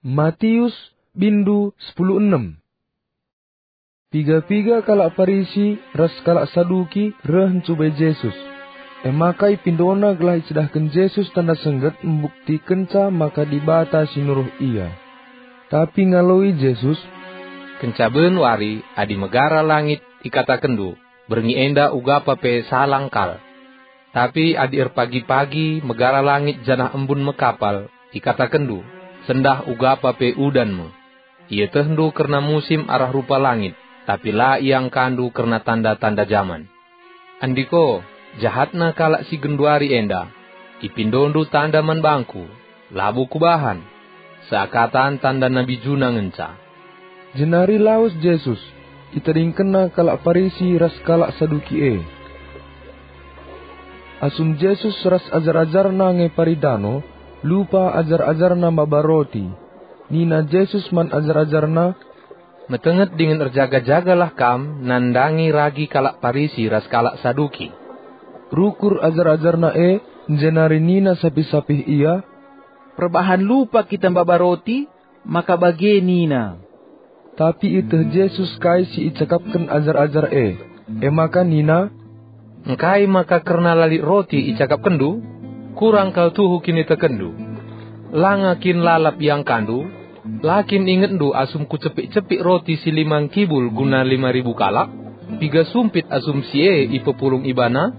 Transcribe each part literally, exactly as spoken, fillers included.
Matius, bindu sepuluh enem. Piga-piga kalak Parisi ras kalak Saduki reh ncubai Jesus. E maka ipindona gelah icidahken Jesus tanda sengget mbuktikenca maka Dibata si nuruh Ia. Tapi ngaloi Jesus, "Kenca ben wari, adi megara langit, ikatakenndu, 'Berngi enda ugapa pe salang kal.' Tapi adi erpagi-pagi megara langit janah embun mekapal, ikatakenndu, 'Sendah ugapa pe udan me.' Ietehndu kerna musim arah rupa langit, tapi la iangkandu kerna tanda-tanda jaman. Andiko, jahatna kalak si genduari enda! Ipindondu tanda man bangKu, labo Kubahan. Seakatan tanda nabi Juna ngenca." Jenari lawes Jesus, itadingkenNa kalak Parisi ras kalak Saduki e. Asum Jesus ras ajar-ajarNa ngepari dano, lupa ajar-ajarNa maba roti. Nina Jesus man ajar-ajarNa, "Metenget dingen erjaga-jagalah kam nandangi ragi kalak Parisi ras kalak Saduki." Rukur ajar-ajarNa e, jenari nina sapih-sapih ia, "Perbahan lupa kita maba roti, maka bage nina." Tapi ieteh Jesus kai si icakapken ajar-ajar e, e maka nina, "Engkai maka kerna la lit roti icakapkenndu? Kurang kal tuhu kinitekenndu! Langa kin lalap iangkandu? La kin ingetndu asum Kucepik-cepik roti si lima ngkibul guna lima ribu kalak? Piga sumpit asum si e ipepulung ibana?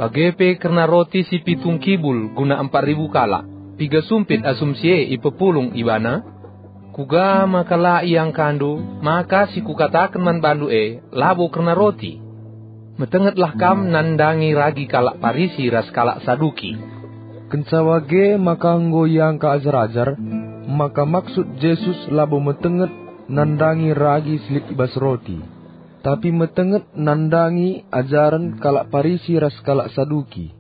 Bage pe kerna roti si pitu ngkibul guna empat ribu kalak, piga sumpit asum si e ipepulung ibana? Kuga maka la iangkandu maka si Kukataken man bandu e labo kerna roti? Metengetlah kam nandangi ragi kalak Parisi ras kalak Saduki." Kenca bage maka enggo iangka ajar-ajar, maka maksud Jesus labo metenget nandangi ragi si lit i bas roti, tapi metenget nandangi ajaren kalak Parisi ras kalak Saduki.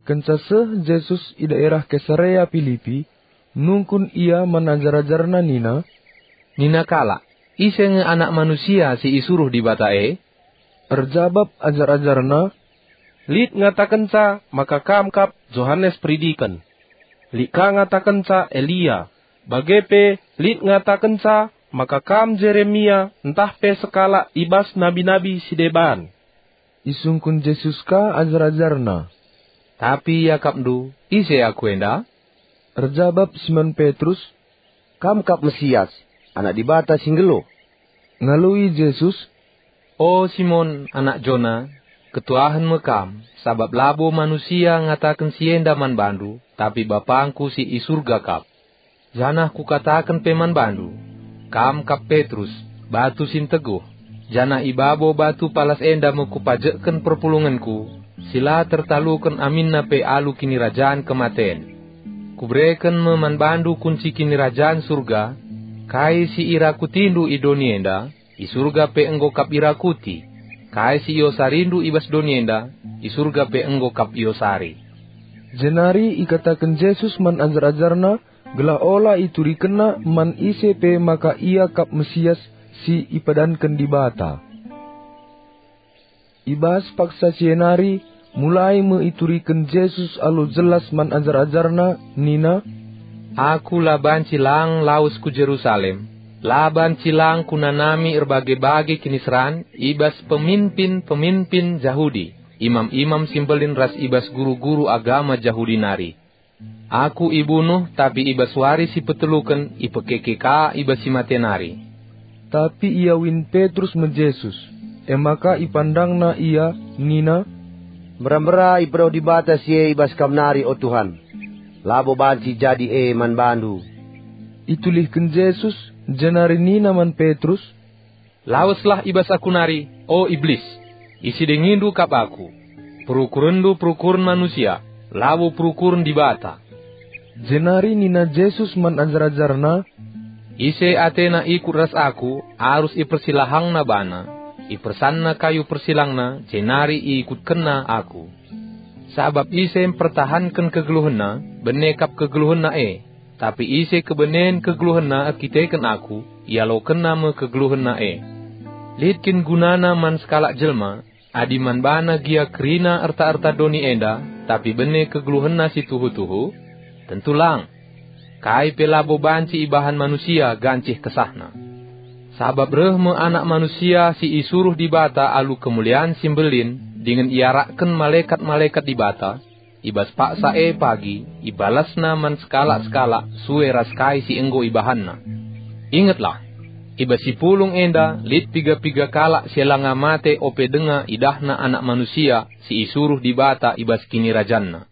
Kenca seh Jesus i daerah Kesarea Pilipi, nungkun Ia man ajar-ajarNa nina, "Nina kalak, ise nge Anak Manusia si isuruh Dibata e?" Erjabap ajar-ajarNa, "Lit ngatakenca maka Kam kap Johanes Peridiken. Lit ka ngatakenca Elia, bage pe lit ngatakenca maka Kam Jeremia ntah pe sekalak i bas nabi-nabi si deban." Isungkun Jesus ka ajar-ajarNa, "Tapi iakapndu, ise Aku enda?" Erjabap Simon Petrus, "Kam kap Mesias, Anak Dibata si nggeluh." Ngaloi Jesus, "O Simon, anak Jona, ketuahen me kam, sabap labo manusia ngataken si enda man bandu, tapi BapangKu si i Surga kap. Janah Kukataken pe man bandu, kam kap Petrus, batu si nteguh, janah i babo batu palas enda me Kupajekken perpulungenKu, si la tertaluken aminna pe alu kinirajan kematen. Kubereken me man bandu kunci Kinirajan Surga. Kai si irakutindu i doni enda, i Surga pe enggo kap irakuti. Kai si iosarindu i bas doni enda, i Surga pe enggo kap iosari." Jenari ikataken Jesus man ajar-ajarNa, gelah ola iturikenna man ise pe maka Ia kap Mesias si ipadanken Dibata. I bas paksa si e nari, mulai me ituriken Jesus alu jelas man ajar-ajarNa nina, "Aku la banci lang lawes ku Jerusalem, la banci lang kunanami erbage-bage kiniseran i bas peminpin-peminpin Jahudi, imam-imam si mbelin ras i bas guru-guru agama Jahudi nari. Aku ibunuh, tapi i bas wari si peteluken ipekeke ka i bas si mate nari." Tapi iawin Petrus me Jesus, e maka ipandangna ia nina, "Mbera-mbera ipedoh Dibata si e i bas kam nari, o Tuhan. Labo banci jadi e man bandu." Itulihken Jesus, jenari nina man Petrus, "Laweslah i bas aku nari, o Iblis! Isidengindu kap aku. Perukurenndu perukuren manusia, labo perukuren Dibata." Jenari nina Jesus man ajar-ajarNa, "Ise atena ikut ras Aku, arus ipersilahangna bana, ipersanna kayu persilangna, jenari iikutkenna Aku. Sabap ise mpertahanken kegeluhenna, bene kap kegeluhenna e. Tapi ise kebenen kegeluhenna erkiteken Aku, ialokenna me kegeluhenna e. Lit kin gunana man sekalak jelma, adi man bana gia kerina erta-erta doni enda, tapi bene kegeluhenna si tuhu-tuhu? Tentu lang. kai pe labo banci ibahan manusia gancih kesahna. Sabap reh me Anak Manusia si isuruh Dibata alu kemulian si mbelin dingen iarakken malekat-malekat Dibata, i bas paksa e pagi ibalasNa man sekalak-sekalak sue ras kai si enggo ibahanna. Ingetlah, i bas si pulung enda lit piga-piga kalak si langa mate ope denga idahna Anak Manusia si isuruh Dibata i bas KinirajanNa.